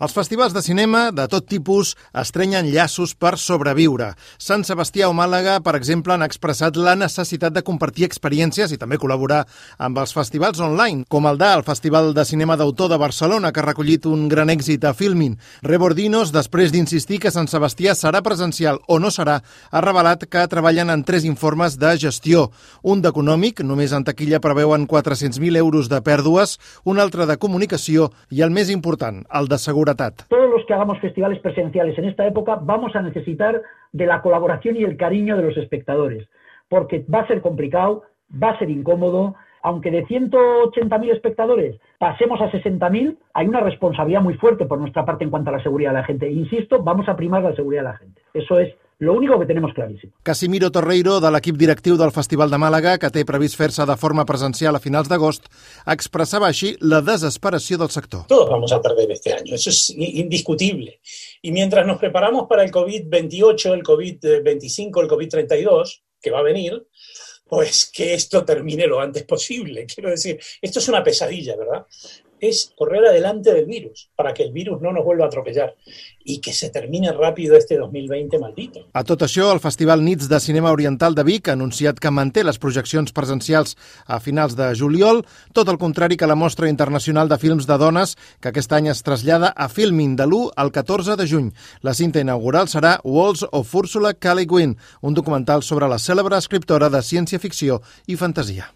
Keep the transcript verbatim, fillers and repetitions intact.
Els festivals de cinema de tot tipus estrenyen llaços per sobreviure. Sant Sebastià o Màlaga, per exemple, han expressat la necessitat de compartir experiències i també col·laborar amb els festivals online, com el del Festival de Cinema d'Autor de Barcelona, que ha recollit un gran èxit a Filmin. Rebordinos, després d'insistir que Sant Sebastià serà presencial o no serà, ha revelat que treballen en tres informes de gestió. Un d'econòmic, només en taquilla preveuen quatre-cents mil euros de pèrdues, un altre de comunicació i el més important, el de seguretat. Todos los que hagamos festivales presenciales en esta época vamos a necesitar de la colaboración y el cariño de los espectadores, porque va a ser complicado, va a ser incómodo. Aunque de ciento ochenta mil espectadores pasemos a sesenta mil, hay una responsabilidad muy fuerte por nuestra parte en cuanto a la seguridad de la gente. Insisto, vamos a primar la seguridad de la gente. Eso es lo único que tenemos clarísimo. Casimiro Torreiro, de l'equip directiu del Festival de Màlaga, que té previst fer-se de forma presencial a finals d'agost, expressava així la desesperació del sector. Todos vamos a perder este año, eso es indiscutible. Y mientras nos preparamos para el COVID veintiocho, el COVID veinticinco, el COVID treinta y dos, que va a venir, pues que esto termine lo antes posible. Quiero decir, esto es una pesadilla, ¿verdad? Es correr adelante del virus, para que el virus no nos vuelva a atropellar y que se termine rápido este dos mil veinte maldito. A tot això, el Festival Nits de Cinema Oriental de Vic ha anunciat que manté les projeccions presencials a finals de juliol, tot el contrari que la Mostra Internacional de Films de Dones, que aquest any es trasllada a Filmin de l'u al catorze de juny. La cinta inaugural serà Walls of Ursula K. Le Guin, un documental sobre la cèlebre escriptora de ciència-ficció i fantasia.